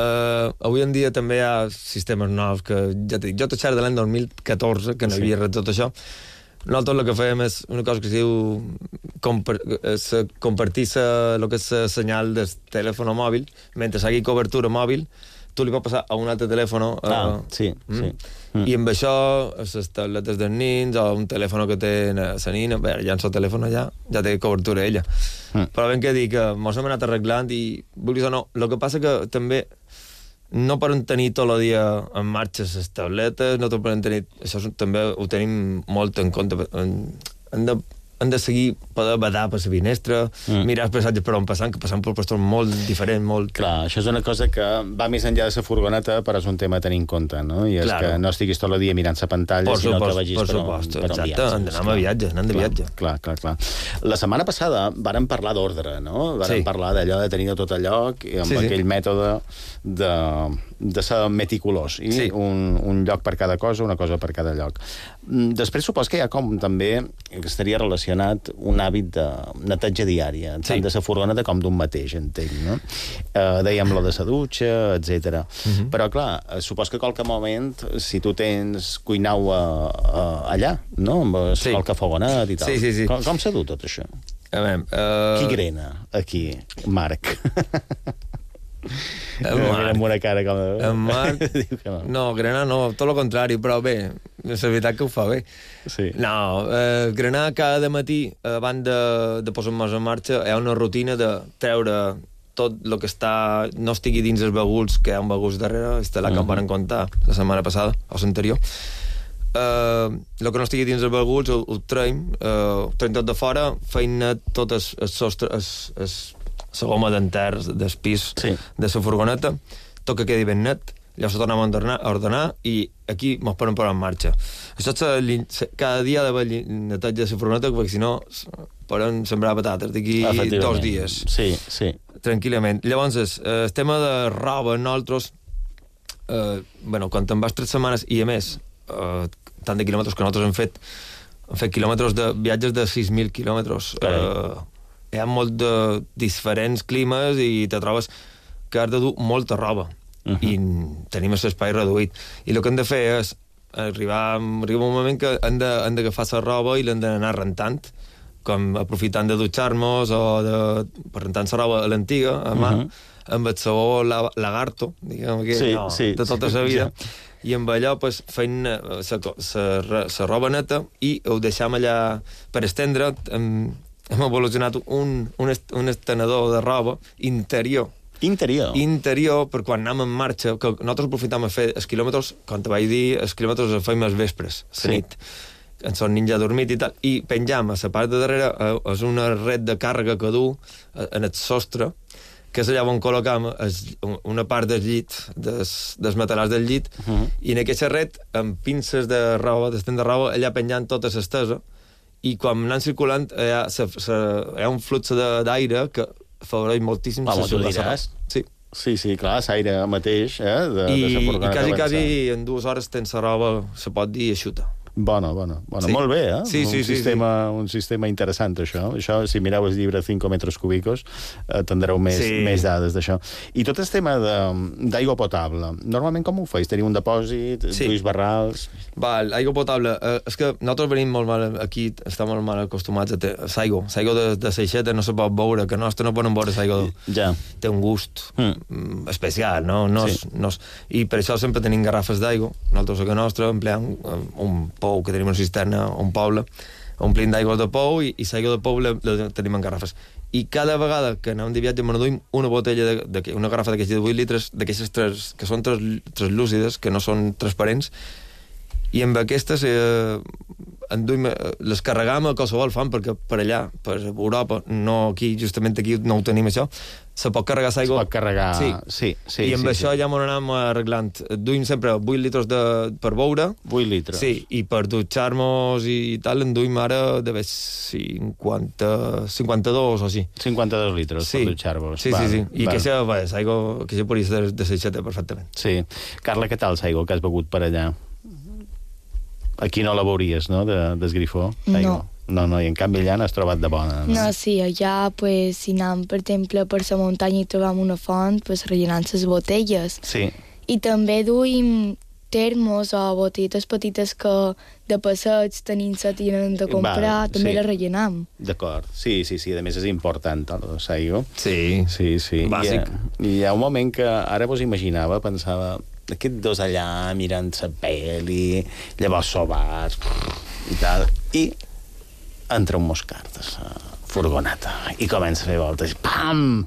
avui en dia també hi ha sistemes nous que, ja t'he dit, jo t'he xerrat de l'any 2014, que no hi havia res tot això. Nosaltres el que fèiem és una cosa que es diu compartir el que és el senyal del telèfon mòbil, mentre hi hagi cobertura mòbil, tu li pots passar a un altre telèfon. I amb això, les tabletes dels nins o un telèfon que té la nina, bé, ja en el telèfon ja té cobertura ella. Però ben que dic que mos hem anat arreglant i, vulguis o no, el que passa que també no poden tenir tot el dia en marxa les tabletes, no poden tenir... Això també ho tenim molt en compte. Han de seguir, poder badar per la finestra, mirar els paisatges per on passant, que passant per puestos molt diferents, molt... Clar, això és una cosa que va més enllà de la furgoneta, però és un tema a tenir en compte, no? I és que no estiguis tot el dia mirant la pantalla, sinó que vagis per un viatge. Exacte, anem a viatge, anem de viatge. Clar. La setmana passada vàrem parlar d'ordre, no? Vàrem parlar d'allò de tenir tot a lloc, amb aquell mètode de ser meticulós, i un lloc per cada cosa, una cosa per cada lloc. Després supos que hi ha com també, que estaria relacionat, un hàbit de neteja diària, tant de la furgoneta com d'un mateix, entenc, no? Dèiem lo de la dutxa, etc. Però, clar, supos que a qualque moment, si tu tens cuinau allà, no? Amb qualque fogonet i tal. Com s'ha dut tot això? Qui grena aquí, Marc? En una cara com... En Marc... No, grenar no, tot el contrari, però bé, és la veritat que ho fa bé. No, grenar cada matí, abans de posar-nos en marxa, hi ha una rutina de treure tot el que no estigui dins els baguls, que hi ha un baguls darrere, la que em van contar la setmana passada, o l'anterior. El que no estigui dins els baguls ho traiem tot de fora, feim net tot el sostre, la goma d'enter del pis de la furgoneta, tot que quedi ben net, llavors tornem a ordenar i aquí mos poden posar en marxa. Això cada dia ha d'haver neteja de la furgoneta, perquè si no poden sembrar patates d'aquí 2 dies. Tranquil·lament. Llavors, el tema de roba, nosaltres, quan te'n vas 3 setmanes i a més, tant de quilòmetres que nosaltres hem fet quilòmetres de viatges de 6.000 quilòmetres. Hi ha molt de diferents climes i te trobes que has de dur molta roba i tenim l'espai reduït. I el que hem de fer és arriba un moment que han d'agafar la roba i l'han d'anar rentant com aprofitant de dutxar-nos o per rentar la roba a l'antiga, a mà, amb el sabó lagarto, diguem que de tota la vida, i amb allò pues, feien la roba neta i ho deixam allà per estendre. Hem evolucionat un estenedor de roba interior, per quan anem en marxa, que nosaltres aprofitam a fer els quilòmetres, com te vaig dir, els quilòmetres els fem els vespres, la nit, en son ninja dormit i tal, i penjam a la part de darrere, és una red de càrrega que du en el sostre, que és allà on col·locam una part del llit, dels matalars del llit, i en aquesta red, amb pinces de roba, d'estend de roba, allà penjant tota l'estesa, i quan anem circulant hi ha un flux d'aire que afavoreix moltíssim la roba. Sí, clar, l'aire mateix de la furgoneta. I quasi en 2 hores tens la roba, se pot dir, eixuta. Bona. Molt bé, un sistema interessant, això. Si mireu el llibre 5 metres cúbicos, tindreu més dades d'això. I tot el tema d'aigua potable, normalment com ho feis? Teniu un dipòsit, duis barrals... Aigua potable. És que nosaltres venim molt mal, aquí estem molt mal acostumats a l'aigua. L'aigua de Seixeta no se pot veure, que nostra no poden veure l'aigua. Té un gust especial, no? I per això sempre tenim garrafes d'aigua. Nosaltres a casa nostra empleem un pou, que tenim una cisterna a un poble, omplim d'aigua de pou i l'aigua de pou la tenim en garrafes. I cada vegada que anem de viatge m'enduim una botella, una garrafa d'aquestes de 8 litres, d'aquestes que són translúcides, que no són transparents, i amb aquestes les carregam a qualsevol font, perquè per allà, per Europa, justament aquí no ho tenim això, se pot carregar l'aigua. Se pot carregar, sí. I amb això ja m'ho anem arreglant. Duim sempre 8 litres per beure. 8 litres. Sí, i per dutxar-nos i tal, en duim ara de 52 o així. 52 litres per dutxar-vos. Sí. I aquesta aigua podria ser de Seixeta perfectament. Sí. Carla, què tal l'aigua que has begut per allà? Aquí no la veuries, no?, d'esgrifó? No, i en canvi allà n'has trobat de bona. No, sí, allà, pues, si anem, per exemple, per la muntanya i trobam una font, pues, rellenant les botelles. Sí. I també duim termos o botelletes petites que de passeig tenim set i anem de comprar, també les rellenam. D'acord, sí, a més és important, l'aigua. Sí. Bàsic. I hi ha un moment que ara vos imaginava, pensava... aquests dos allà mirant la pel·li, llavors sobats i tal, i entra un moscar de la furgoneta i comença a fer voltes, pam,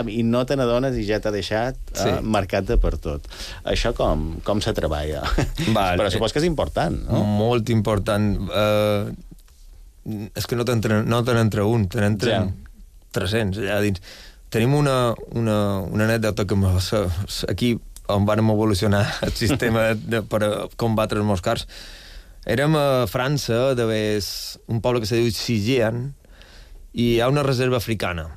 i no te n'adones i ja t'ha deixat marcat de per tot. Això com se treballa? Però supos que és important, no? Molt important. És que no t'entra un, te n'entren 300 allà dins. Tenim una anècdota que aquí on vam evolucionar el sistema per combatre els moscars. Érem a França, un poble que se diu Sigean, i hi ha una reserva africana.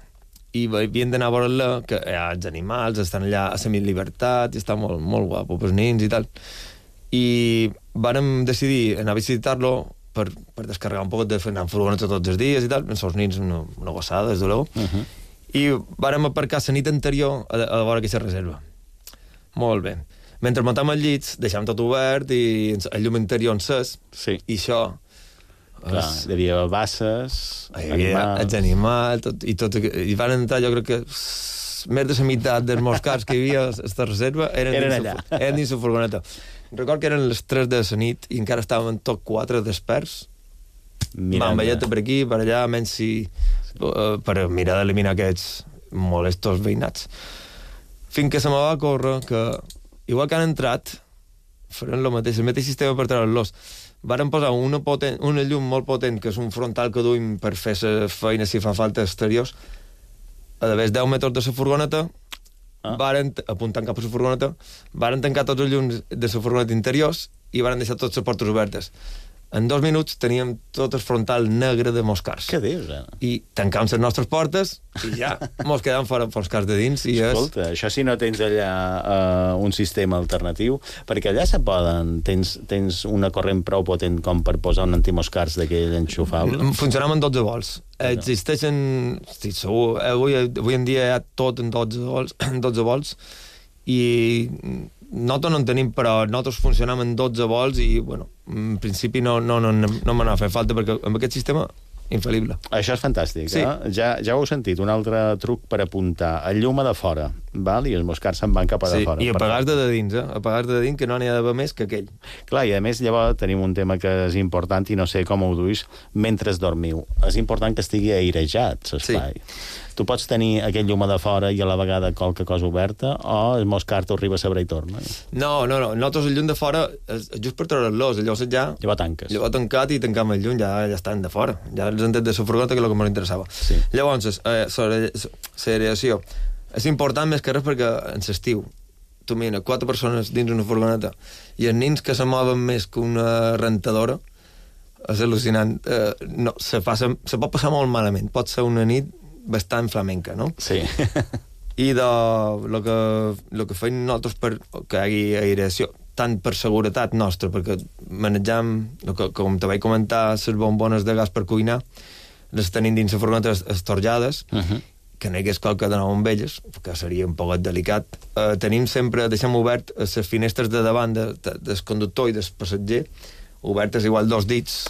I havíem d'anar a veure-la, que hi ha els animals, estan allà a semillibertat, i està molt, molt guapo pels nins i tal. I vàrem decidir anar a visitar-lo per descarregar un poc de anar en furgoneta tots els dies i tal, els nins una gossada, des de luego. I vàrem aparcar la nit anterior a veure aquesta reserva. Molt bé. Mentre muntem els llits, deixem tot obert i el llum interior encès, i això... Clar, hi havia basses, els animals, i van entrar, jo crec que més de la meitat dels moscars que hi havia a aquesta reserva eren dins la furgoneta. Record que eren les 3 de la nit i encara estàvem tots 4 desperts, amb velleta per aquí, per allà, per mirar d'eliminar aquests molestos veïnats. Fins que se me va córrer que, igual que han entrat, faran el mateix sistema per treure-los. Varen posar una llum molt potent, que és un frontal que duim per fer la feina si fa falta exteriors, a d'haver 10 metres de la furgoneta, apuntant cap a la furgoneta, varen tancar tots els llums de la furgoneta interiors i varen deixar totes les portes obertes. En 2 minuts teníem tot el frontal negre de moscars. Què dius, I tancàvem les nostres portes i ja mos quedàvem fora moscars de dins. Escolta, això si no tens allà un sistema alternatiu, perquè allà tens una corrent prou potent com per posar un antimoscars d'aquell enxufable. Funcionam en 12 volts. Existeixen, estic segur, avui en dia hi ha tot en 12 volts i nosaltres no en tenim, però nosaltres funcionam en 12 volts i, bueno, en principi no m'anava a fer falta, perquè amb aquest sistema infal·lible. Això és fantàstic, sí. Ja ho heu sentit, un altre truc per apuntar. El llum a de fora, val? I els moscars se'n van cap a de fora. I apagar de dins, apagar de dins, que no n'hi ha d'haver més que aquell. Clar, i a més llavors tenim un tema que és important i no sé com ho duis mentre dormiu. És important que estigui airejat, l'espai. Sí. Tu pots tenir aquell llum a de fora i a la vegada qualque cosa oberta, o el moscar t'ho arriba a saber i torna? No. Nosaltres el llum de fora, just per treure-los, llavors tanques. Llavors tancat i tancam el llum, ja estan de fora. Ja els han tret de la furgoneta, que és el que m'interessava. Sí. Llavors, l'aeració és important més que res perquè en l'estiu tu mira, 4 persones dins una furgoneta i els nins que se mouen més que una rentadora, és al·lucinant. Se pot passar molt malament. Pot ser una nit bastant flamenca, no? Sí. I lo que feim nosaltres perquè hi hagi aeració, tant per seguretat nostra, perquè manejam, com te vaig comentar, les bombones de gas per cuinar, les tenim dins la furgoneta estorjades, que no hi hagués qualque de nou amb elles, que seria un poc delicat. Deixem obert les finestres de davant del conductor i del passatger, obertes igual 2 dits,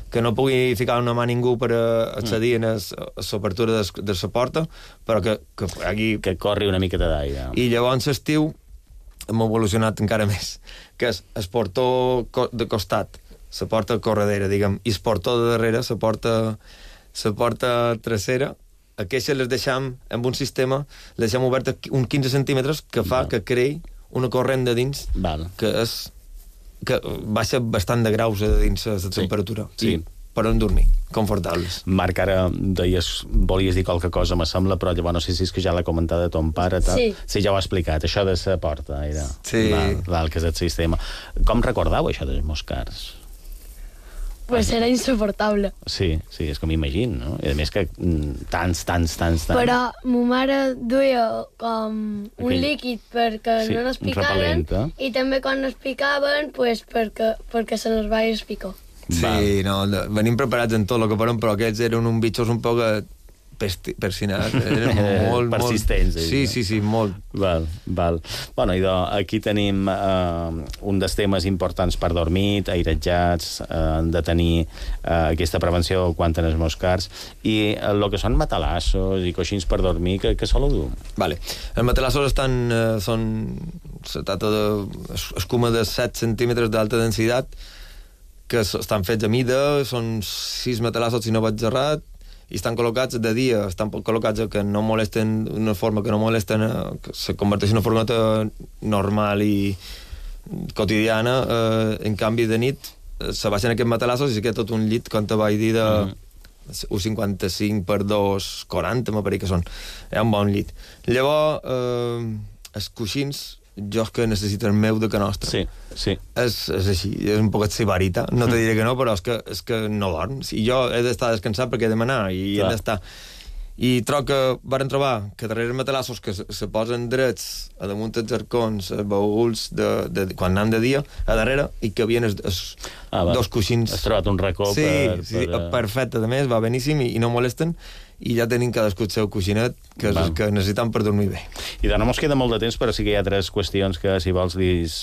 que no pugui ficar una mà ningú per accedir a l'obertura de la porta, però que corri una miqueta d'aire. I llavors l'estiu hem evolucionat encara més, que és el portó de costat, la porta corredera, diguem, i el portó de darrere, la porta trasera. Aquestes les deixem amb un sistema, les deixem obertes uns 15 centímetres, que fa que creï una corrent de dins, que baixa bastant de graus a dins la temperatura. Sí. Per on dormir, confortables. Marc, ara volies dir qualque cosa, me sembla, però llavors no sé si és que ja l'ha comentat de ton pare. Sí, ja ho ha explicat, això de la porta era. Sí. Val, que és el sistema. Com recordau això dels moscars? Pues era insoportable. Sí, és que m'imagino, no? I a més que tants. Però ma mare duia com un líquid perquè no nos picaren, i també quan nos picaven, pues perquè se nos va picar. Sí, no, venim preparats en tot el que farem, però aquests eren uns bitxos un poc persinats, eren molt persistents. Sí, molt. Val. Bueno, i aquí tenim un dels temes importants per dormir, airejats, de tenir aquesta prevenció quan tens moscars, i el que són matalassos i coixins per dormir, que soleu dur? Vale. Els matalassos se tracta d'escuma de 7 centímetres d'alta densitat, que estan fets a mida, són 6 matalassos si no vaig errat, i estan col·locats de dia, estan col·locats que no molesten d'una forma que no molesten, que se converteix en una furgoneta normal i quotidiana. En canvi, de nit se baixen aquests matalassos i se queda tot un llit, com te vaig dir, de 1,55 per 2,40, m'apareix que són. És un bon llit. Llavors, els coixins, jo que necessito el meu de que nostre. Sí. És així, és un poquet sibarita. No te diré que no, però és que no dorms. I jo he d'estar descansat perquè he de manar i he d'estar... I trobo que varen trobar que darrere els matalassos que se posen drets a damunt dels arcons, els baúls, quan anem de dia, a darrere, i que havien dos coixins. Has trobat un racó perfecte, a més, va beníssim i no molesten, i ja tenim cadascú el seu coixinet que necessitem per dormir bé. I no ens queda molt de temps, però sí que hi ha 3 qüestions que, si vols,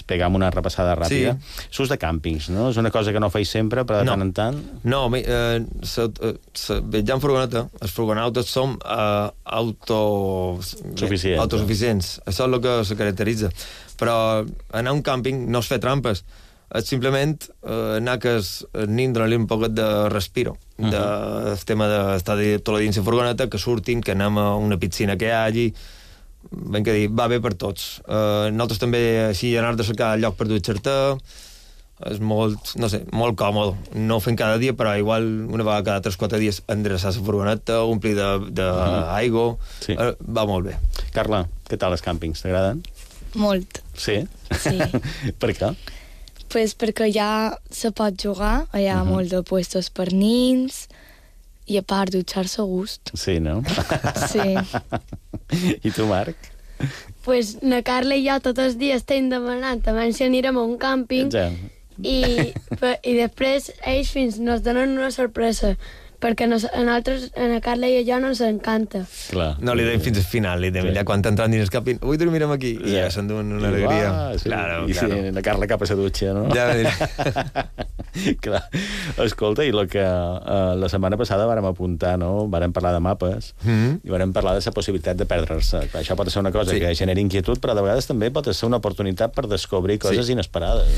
pegam una repassada ràpida. S'ús de càmpings, no? És una cosa que no feis sempre, però de tant en tant... No, viatjar en furgoneta, els furgonautes som autosuficients. Això és el que se caracteritza. Però anar a un càmping no és fer trampes, és simplement anar que els nins donar-li un poc de respiro, del tema d'estar tot el dia dins la furgoneta, que surtin, que anem a una piscina que hi hagi, ben que dir, va bé per tots. Nosaltres també, així, anar de cercar lloc per dutxar-te, és molt, no sé, molt còmode. No ho fem cada dia, però igual una vegada cada 3-4 dies endreçar la furgoneta, omplir d'aigua, va molt bé. Carla, què tal els càmpings? T'agraden? Molt. Sí? Sí. Per què? Pues perquè ja se pot jugar, hi ha molt de puestos per nins, i a part dutxar-se a gust. Sí, no? Sí. I tu, Marc? Pues na Carla i jo tots els dies estem demanant també si anirem a un càmping, i després ells fins nos donen una sorpresa, perquè a nosaltres, a Carla i a jo, no ens encanta. No li deim fins al final, li deim ja quan t'entran dins el càmping, avui dormirem aquí, i ja s'enduen una alegria. I la Carla cap a la dutxa, no? Ja, Clar. Escolta, i el que la setmana passada vàrem apuntar, no? Vàrem parlar de mapes i vàrem parlar de la possibilitat de perdre-se. Això pot ser una cosa que genera inquietud, però de vegades també pot ser una oportunitat per descobrir coses inesperades.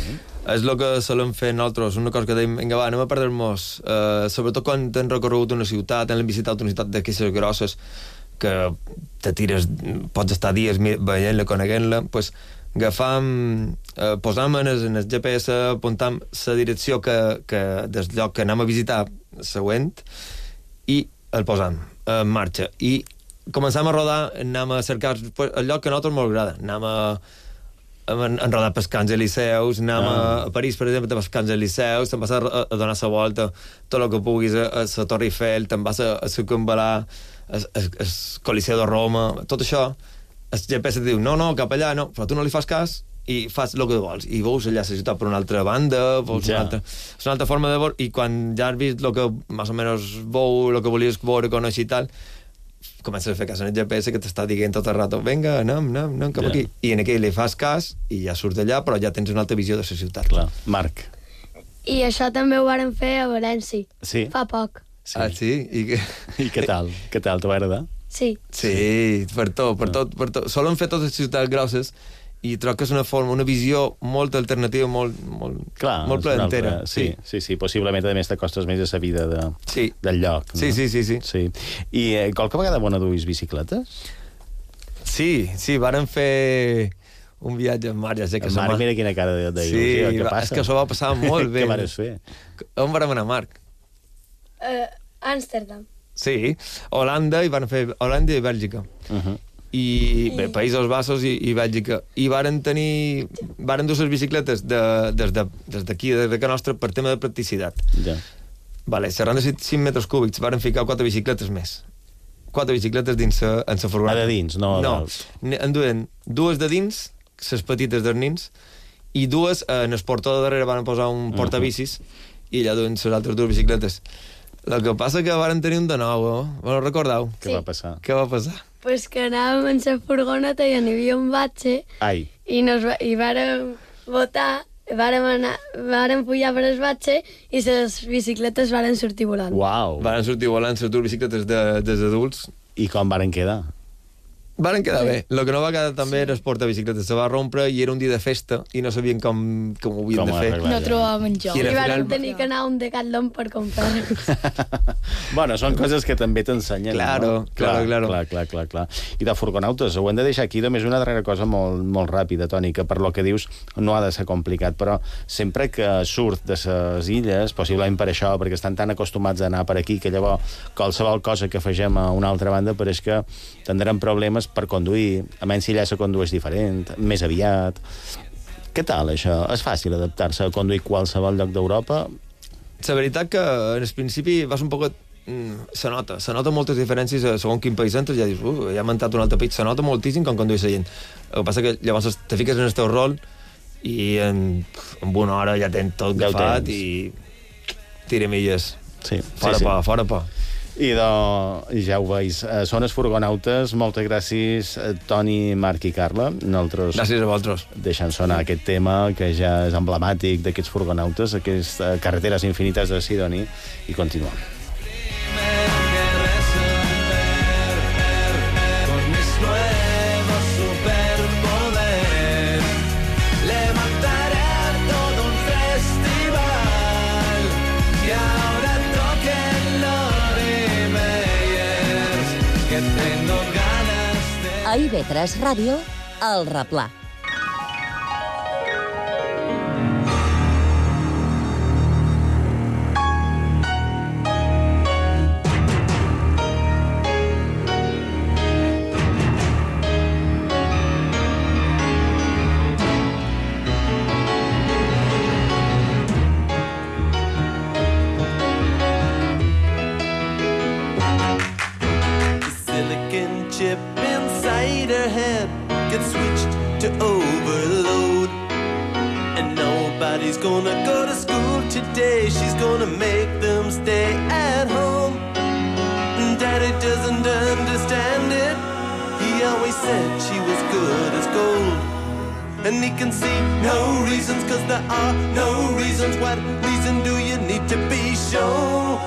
És el que solem fer nosaltres, una cosa que dèiem, vinga, va, anem a perdre-nos, sobretot quan hem recorregut una ciutat, hem visitat una ciutat d'aquestes grosses, que te tires, pots estar dies veient-la, coneguent-la, doncs agafam, posam en el GPS, apuntam la direcció del lloc que anem a visitar següent i el posam en marxa. I començam a rodar, anem a cercar el lloc que a nosaltres molt agrada. Anem a rodar pels Camps Elíseus, anem a París, per exemple, pels Camps Elíseus, te'n vas a donar la volta, tot el que puguis, a la Torre Eiffel, te'n vas a circumval·lar el Coliseu de Roma, tot això, el GPS et diu, no, cap allà, no, però tu no li fas cas i fas el que vols, i veus allà la ciutat per una altra banda, veus una altra forma de veure, i quan ja has vist el que més o menys veu, el que volies veure, conèixer i tal, comences a fer cas en el GPS que t'està dient tot el rato, vinga, anem cap aquí, i en aquell li fas cas i ja surts d'allà, però ja tens una altra visió de la ciutat. Clar. Marc. I això també ho vàrem fer a València, fa poc. Sí. Ah, sí? I què tal? Què tal? T'ho va agradar? Sí. Sí, per tot. Solen fer totes les ciutats grosses i trobo que és una forma, una visió molt alternativa, molt placentera. Sí. Possiblement, a més, t'acostes més a la vida del lloc. Sí. I qualque vegada duis bicicletes? Sí, vàrem fer un viatge amb Marc, ja sé que... Marc, mira quina cara d'il·lusió, què passa? És que s'ho va passar molt bé. Què vares fer? On vàrem anar, Marc? Amsterdam. Sí, Holanda, i van fer Holanda i Bèlgica. I bé, Països Baixos i Bèlgica. I varen dur les bicicletes des d'aquí, des de casa nostra, per tema de practicitat. Vale, serran de 5 metres cúbics, varen ficar 4 bicicletes més. 4 bicicletes dins en la furgoneta. De dins, no? No, en duen 2 de dins, les petites dels nins, i 2 en el portó de darrere van posar un portabicis i allà duen les altres 2 bicicletes. El que passa que varen tenir un de nou, ho recordeu? Què va passar? Què va passar? Pues que anàvem en la furgoneta i hi havia un batxe i vàrem votar, vàrem pujar per el batxe i les bicicletes varen sortir volant. Uau! Varen sortir volant les 2 bicicletes dels adults. I com varen quedar? Varen quedar bé. El que no va quedar també era el portabicicletes. Se va rompre i era un dia de festa i no sabien com ho havien de fer. No trobàvem jo. I vam tenir que anar a un Decathlon per comprar-los. Bueno, són coses que també t'ensenyen. Claro. Clar. I de furgonautes, ho hem de deixar aquí. Només una darrera cosa molt ràpida, Toni, que per lo que dius no ha de ser complicat, però sempre que surt de les illes, possiblement per això, perquè estan tan acostumats a anar per aquí, que llavors qualsevol cosa que afegem a una altra banda pareix que tindrem problemes per conduir, a menys si allà se condueix diferent, més aviat. Què tal, això? És fàcil adaptar-se a conduir qualsevol lloc d'Europa? La veritat que, en principi, vas un poc... Se nota moltes diferències segons quin país entres, ja dius, ja m'ha entrat un altre país, se nota moltíssim quan condueix la gent. El que passa que llavors te fiques en el teu rol i en una hora ja tens tot agafat i tira milles. Fora por. I ja ho veus, són els furgonautes. Moltes gràcies, Toni, Marc i Carla. Nosaltres gràcies a vosaltres. Deixant sonar aquest tema que ja és emblemàtic d'aquests furgonautes, aquestes carreteres infinites de Sidoní, i continuem. A IB3 Ràdio, El Replà. Nobody's gonna go to school today. She's gonna make them stay at home. Daddy doesn't understand it. He always said she was good as gold. and he can see no reasons, 'cause there are no reasons. What reason do you need to be shown?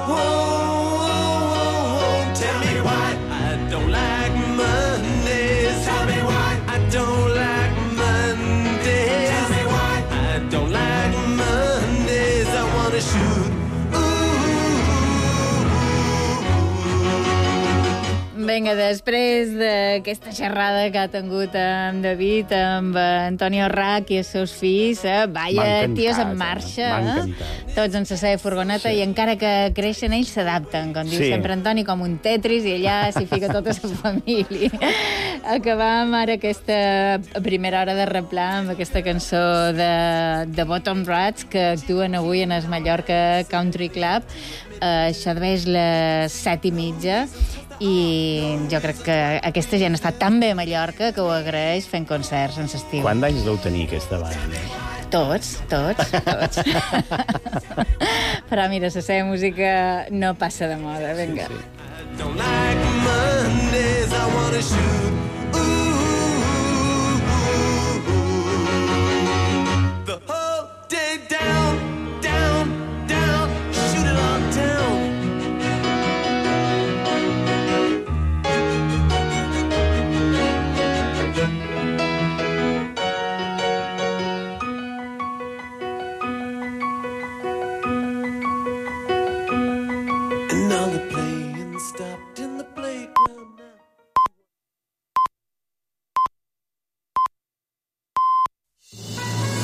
Tell me why I don't like Mondays. Tell me why I don't like Mondays. Tell me why I don't like Mondays. I wanna shoot. Vinga, després d'aquesta xerrada que ha tingut amb David, amb Antonio Rac i els seus fills, vaya tios en marxa, tots en la seva furgoneta, i encara que creixen ells s'adapten, com diu sempre Antoni, com un Tetris, i allà s'hi fica tota la família. Acabam ara aquesta primera hora de replar amb aquesta cançó de Bottom Rats, que actuen avui en el Mallorca Country Club. Això d'haver és les 7:30, i jo crec que aquesta gent està tan bé a Mallorca que ho agraeix fent concerts en l'estiu. Quants anys deu tenir aquesta banda? Tots. Però mira, la seva música no passa de moda, vinga. Don't like Mondays, I wanna shoot.